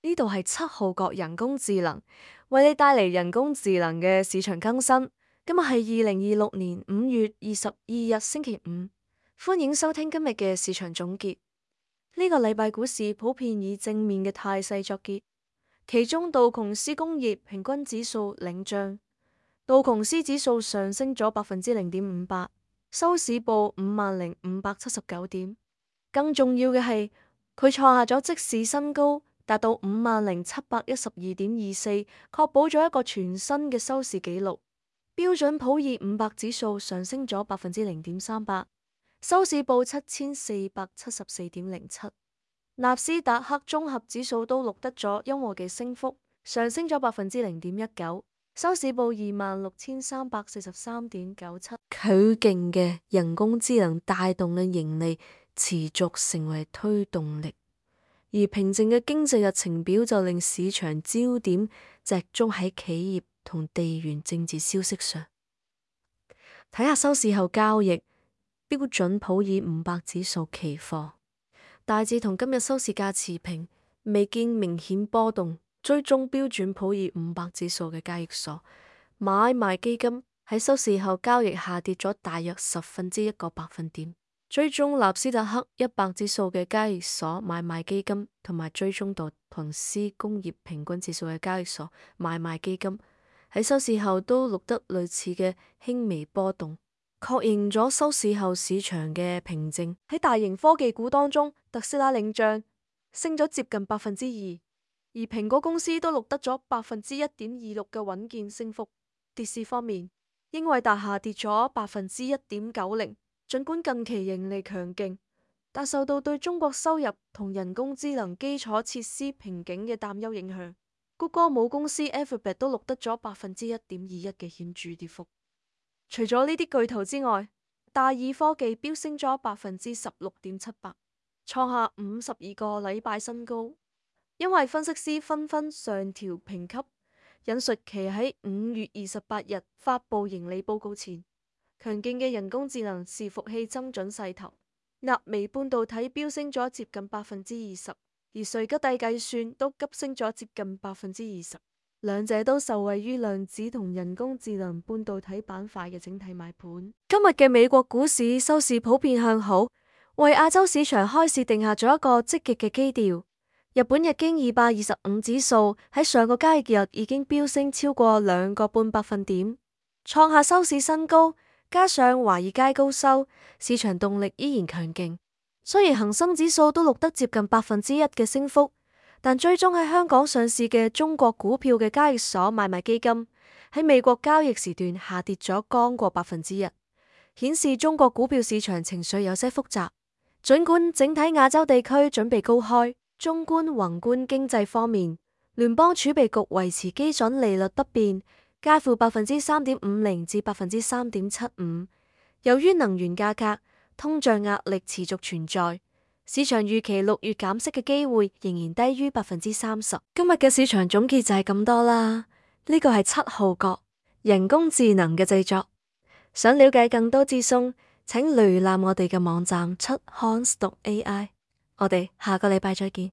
呢度係7號角人工智能，為你帶嚟人工智能嘅市場更新。今日係2026年5月22日星期五，歡迎收聽今日嘅市場總結。呢個禮拜股市普遍以正面嘅態勢作結，其中道瓊斯工業平均指數領漲，道瓊斯指數上升咗0.58%，收市報50,579點。更重要嘅係，佢創下咗即市新高，達到50,712.24，確保咗一個全新嘅收市紀錄。標準普爾500指數上升咗0.38%，收市報7474.07。納斯達克綜合指數都錄得咗溫和嘅升幅，上升咗0.19%，收市報26,343.97。佢勁嘅人工智能帶動嘅盈利持續成為推動力，而平靜嘅經濟日程表就令市場焦點集中喺企業同地緣政治消息上。睇下收市後交易，標準普爾500指數期貨大致同今日收市價持平，未見明顯波動。追蹤標準普爾500指數嘅交易所買賣基金喺收市後交易下跌咗大約1/10個百分點。追蹤納斯達克100指數嘅交易所買賣基金同埋追蹤道瓊斯工業平均指數嘅交易所買賣基金喺收市後都錄得類似嘅輕微波動，確認咗收市後市場嘅平靜。喺大型科技股當中，特斯拉領漲，升咗接近2%，而蘋果公司都錄得咗1.26%嘅穩健升幅。跌市方面，英偉達下跌咗1.90%。儘管近期盈利強勁，但受到對中國收入同人工智能基礎設施瓶頸嘅擔憂影響，谷歌母公司 Alphabet 都錄得咗1.21%嘅顯著跌幅。除咗呢啲巨頭之外，大耳科技飆升咗16.78%，創下52個禮拜新高，因為分析師紛紛上調評級，引述其喺5月28日發布盈利報告前，強勁嘅人工智能伺服器增長勢頭，納微半導體飆升咗接近20%，而瑞吉帝計算都急升咗接近20%，兩者都受惠於量子同人工智能半導體板塊嘅整體買盤。今日嘅美國股市收市普遍向好，為亞洲市場開市定下咗一個積極嘅基調。日本日經225指數喺上個交易日已經飆升超過2個半百分點，創下收市新高。加上華爾街高收，市場動力依然強勁。雖然恒生指數都錄得接近1%嘅升幅，但追蹤喺香港上市嘅中國股票嘅交易所買賣基金喺美國交易時段下跌咗剛過1%，顯示中國股票市場情緒有些複雜。儘管整體亞洲地區準備高開，縱觀宏觀經濟方面，聯邦儲備局維持基準利率不變，介乎3.50%至3.75%。由於能源價格、通脹壓力持續存在，市場預期6月減息嘅機會仍然低於30%。今日嘅市場總結就係咁多啦。呢個係7號角人工智能嘅製作。想了解更多資訊，請瀏覽我哋嘅網站 chukhans.ai。我哋下個禮拜再見。